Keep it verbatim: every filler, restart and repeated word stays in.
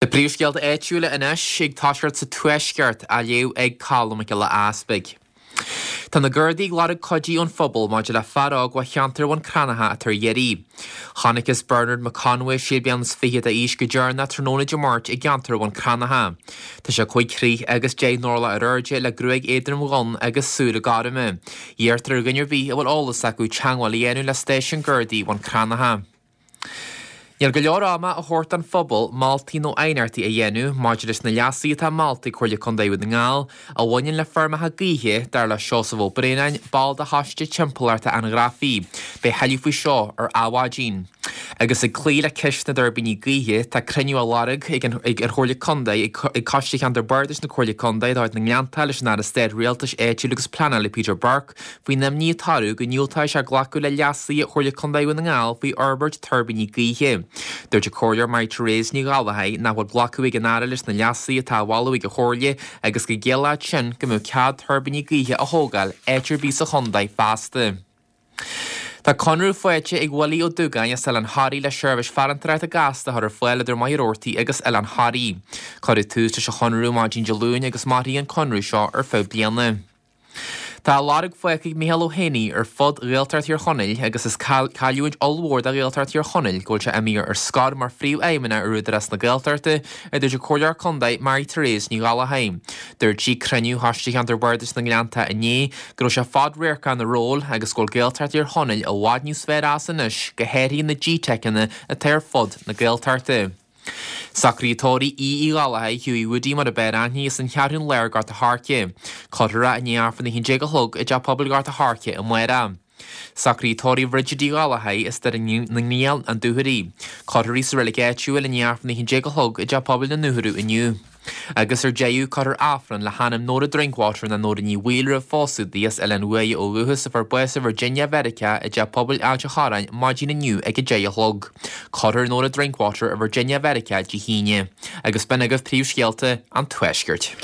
Na príomhscéalta áitiúla anois ag toiseacht sa Tuaisceart á léamh ag Colm Mac Giolla Easpaig. Tá na Gardaí ag lorg cuidiú ón phobal maidir le fear óg ó cheantar Bhun Cranncha atá ar iarraidh. Chonacthas Bernard McConway sé bliana is fiche d'aois go deireanach tráthnóna Dé Máirt i gceantar Bhun Cranncha. Tá sé cúig throigh agus deich n-orlach ar airde le gruaig éadrom dhonn agus súile gorma. Iarrtar ar dhuine ar bith a bhfuil eolas acu teagmháil a dhéanamh le stáisiún Gardaí Bhun Cranncha. Níl go leor ama á thabhairt don phobal moltaí nó aighneachtaí a dhéanamh maidir leis na leasuithe atá molta ag Comhairle Contae Dhún na nGall a bhaineann le feirmeacha gaoithe, dar le Seosamh Ó Braonáin, ball de Choiste Timpeallachta an Ghrafaidh. Beidh tuilleadh faoi seo ar Adhmhaidin. Agus ag cloí le ceist na dtuirbíní gaoithe, tá cruinniú á lorg ag an Chomhairle Contae ag Coiste Cheantar Bardais na Comhairle Contae de chuid na nGleannta leis an Aire Stáit Rialtais Áitiúil agus Pleanála Peter Burke faoin imní atá orthu go ndiúltóidh sé glacadh le leasuithe Chomhairle Contae Dhún na nGall faoi fhorbairt tuirbíní gaoithe. Dúirt an Comhairleoir Mary Therese Ní Ghallchóir nach bhfuil glacadh ag an Aire leis na leasuithe atá á mholadh ag an Chomhairle agus go gciallódh sin go mbeadh cead tuirbíní gaoithe a thógáil áit ar bith sa chontae feasta. Tá conradh faighte ag Willie Ó Dúgáin as Oileán Thoraí le seirbhís farantóireachta gasta a chur ar fáil idir Machaire Rabhartaigh agus Oileán Thoraí. Cuireadh tús leis an chonradh maidin Dé Luain agus mairfidh an conradh seo ar feadh bliana. Tá a lorg fágtha ag Micheál Ó hÉanaí ar fud Ghaeltacht Thír Chonaill agus is cailliúint ollmhór do Ghaeltacht Thír Chonaill go bhfuil sé imithe ar scor mar phríomhfheidhmeannach ar Údarás na Gaeltachta, a dúirt an Comhairleoir Contae Mary Therese Ní Ghallchóir. Dúirt sí ag cruinniú Choiste Cheantar Bardais na nGleannta inné go raibh sé fadradharcach ina ról agus go bhfuil Gaeltacht Thír Chonaill i bhfad níos fearr as anois, go háirithe na GTeiceanna atá ar fud na Gaeltachta. Socruithe tórraimh Aoidh Uí Ghallchóir, Hughie Woody mar a b'fhearr aithne as an Cheathrún Láir Gort a' Choirce. Cuirfear é i ndiaidh Aifreann a haon déag a chlog i dTeach Pobail Ghort a' Choirce amárach. Socruithe tórraimh Bhridget Uí Ghallchóir as Doire na nGrian, An Dúchoraidh. Cuirfear í sa reilig áitiúil i ndiaidh Aifreann a haon déag a chlog i dTeach Pobail na nDúchoradh inniu. Agus ar deireadh, cuirfear Aifreann le hanam Nóra Drinkwater nó Nóra Ní Bhaoill roimh phósadh di as Oileán Mhuaidhe ó dhúchas a fuair bás i Virginia Mheiriceá i dTeach Pobail Ailt an Chorráin maidin inniu ag a deich a chlog. Cuirfear Nóra Drinkwater i Virginia Mheiriceá Dé hAoine. Agus b'in agaibh príomhscéalta an Tuaiscirt.